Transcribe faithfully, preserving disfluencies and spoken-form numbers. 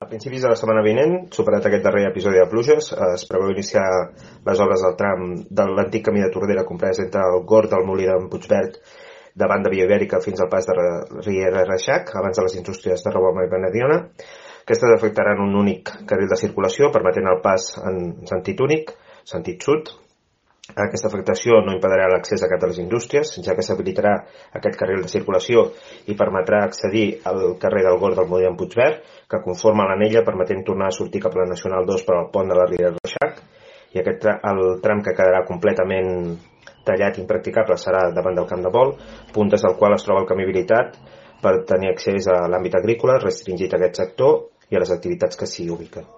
A principis de la setmana vinent, superat aquest darrer episodi de pluges, es preveu iniciar les obres del tram de l'antic camí de Tordera comprès entre el Gorg del Molí d'en Puigverd davant de Via Ibèrica fins al pas de Riera Reixac, abans de les indústries de Riboma i Benediona. Aquestes afectaran un únic carril de circulació, permetent el pas en sentit únic, sentit sud. Aquesta afectació no impedirà l'accés a cap de les indústries, ja que s'habilitarà aquest carril de circulació i permetrà accedir al carrer del Gorg del Molí d'en Puigverd, que conforma l'anella permetent tornar a sortir cap a la Nacional dos per al pont de la Riera Reixac, i aquest el tram que quedarà completament tallat i impracticable serà davant del camp de vol, puntes del qual es troba el camí habilitat per tenir accés a l'àmbit agrícola, restringit a aquest sector i a les activitats que s'hi ubiquen.